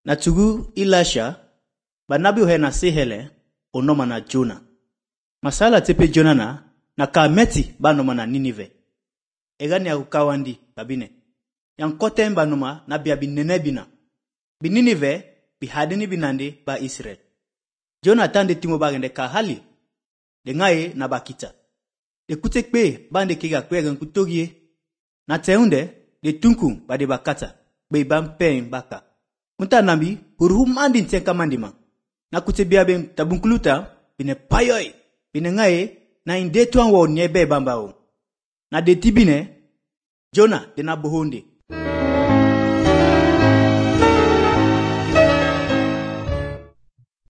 Na tugu Elisha, banabi uhe na sehele, onoma na Jona. Masala tepe Jona na kameti banoma na Ninive. Egani ya kukawandi, kabine. Yang kote banoma na bia binene bina. Bininive, bihadini binande ba Israel. Jona tande timo bagende kahali. De ngaye na bakita. De kutekpe bande kega kwegen kutogie. Na teunde, de tunkum ba de bakata. Be bampen baka. Unta nambi, hurhum andin tenka mandima. Na kutebia ben tabunkuluta, bine payoy. Bine ngaye, na inde tuan wo nyebe bambao. Na de tibine, Jona de na bohonde.